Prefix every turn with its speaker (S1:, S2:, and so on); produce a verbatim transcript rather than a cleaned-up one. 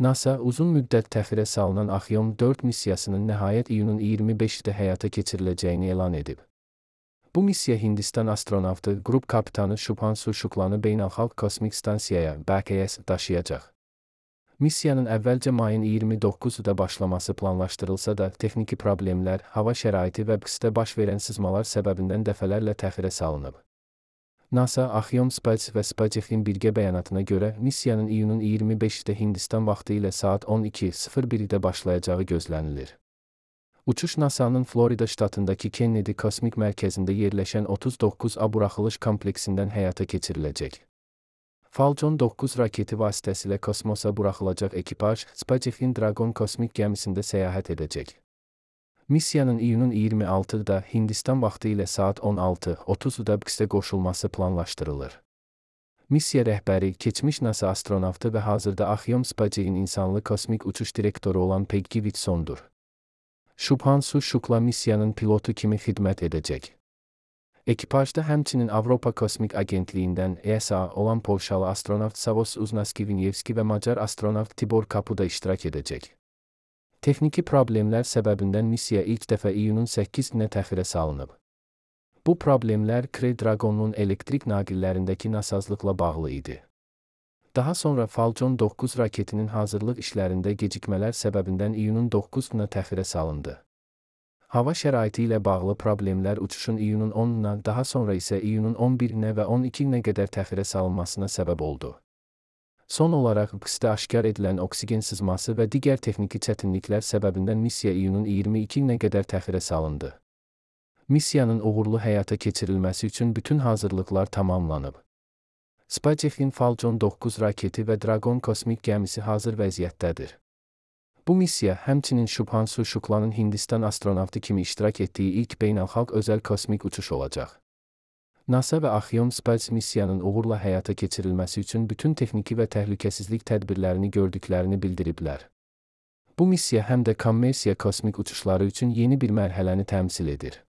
S1: NASA uzun müddət təxirə salınan Axiom dörd missiyasının nəhayət iyunun iyirmi beşində həyata keçiriləcəyini elan edib. Bu missiya Hindistan astronavtı, qrup kapitanı Shubhanshu Shuklanı Beynəlxalq Kosmik Stansiyaya B K S daşıyacaq. Missiyanın əvvəlcə mayın iyirmi doqquzunda başlaması planlaşdırılsa da, texniki problemlər, hava şəraiti və qüsdə baş verən sızmalar səbəbindən dəfələrlə təxirə salınıb. NASA, Axiom Space və SpaceX-in birgə bəyanatına görə, missiyanın iyunun iyirmi beşində Hindistan vaxtı ilə saat on iki sıfır birdə başlayacağı gözlənilir. Uçuş NASA'nın Florida ştatındakı Kennedy Kosmik Mərkəzində yerləşən otuz doqquz A buraxılış kompleksindən həyata keçiriləcək. Falcon doqquz raketi vasitəsilə kosmosa buraxılacaq ekipaj, SpaceX-in Dragon kosmik gəmisində səyahət edəcək. Missiyanın iyunun iyirmi altıında Hindistan vaxtı ilə saat on altı otuzda qüsdə qoşulması planlaşdırılır. Missiya rəhbəri, keçmiş NASA astronavtı və hazırda Axiom Space-in insanlı kosmik uçuş direktoru olan Peggy Whitsondur. Shubhanshu Shukla missiyanın pilotu kimi xidmət edəcək. Ekipajda həmçinin Avropa Kosmik Agentliyindən E S A olan Polşalı astronavt Savos Uznaski-Vinyevski və Macar astronavt Tibor Kapuda iştirak edəcək. Texniki problemlər səbəbindən missiya ilk dəfə iyunun səkkizində təxirə salınıb. Bu problemlər Crew Dragon'un elektrik naqillərindəki nasazlıqla bağlı idi. Daha sonra Falcon doqquz raketinin hazırlıq işlərində gecikmələr səbəbindən iyunun doqquzuna təxirə salındı. Hava şəraiti ilə bağlı problemlər uçuşun iyunun onuna, daha sonra isə iyunun on birinə və on ikinə qədər təxirə salınmasına səbəb oldu. Son olaraq, qüsdə aşkar edilən oksigen sızması və digər texniki çətinliklər səbəbindən missiya iyunun iyirmi ikinə qədər təxirə salındı. Missiyanın uğurlu həyata keçirilməsi üçün bütün hazırlıqlar tamamlanıb. SpaceX-in Falcon doqquz raketi və Dragon kosmik gəmisi hazır vəziyyətdədir. Bu missiya həmçinin Shubhanshu Shuklanın Hindistan astronavtı kimi iştirak etdiyi ilk beynəlxalq özəl kosmik uçuş olacaq. NASA və Axiom Space missiyanın uğurla həyata keçirilməsi üçün bütün texniki və təhlükəsizlik tədbirlərini gördüklərini bildiriblər. Bu missiya həm də kommersiya kosmik uçuşları üçün yeni bir mərhələni təmsil edir.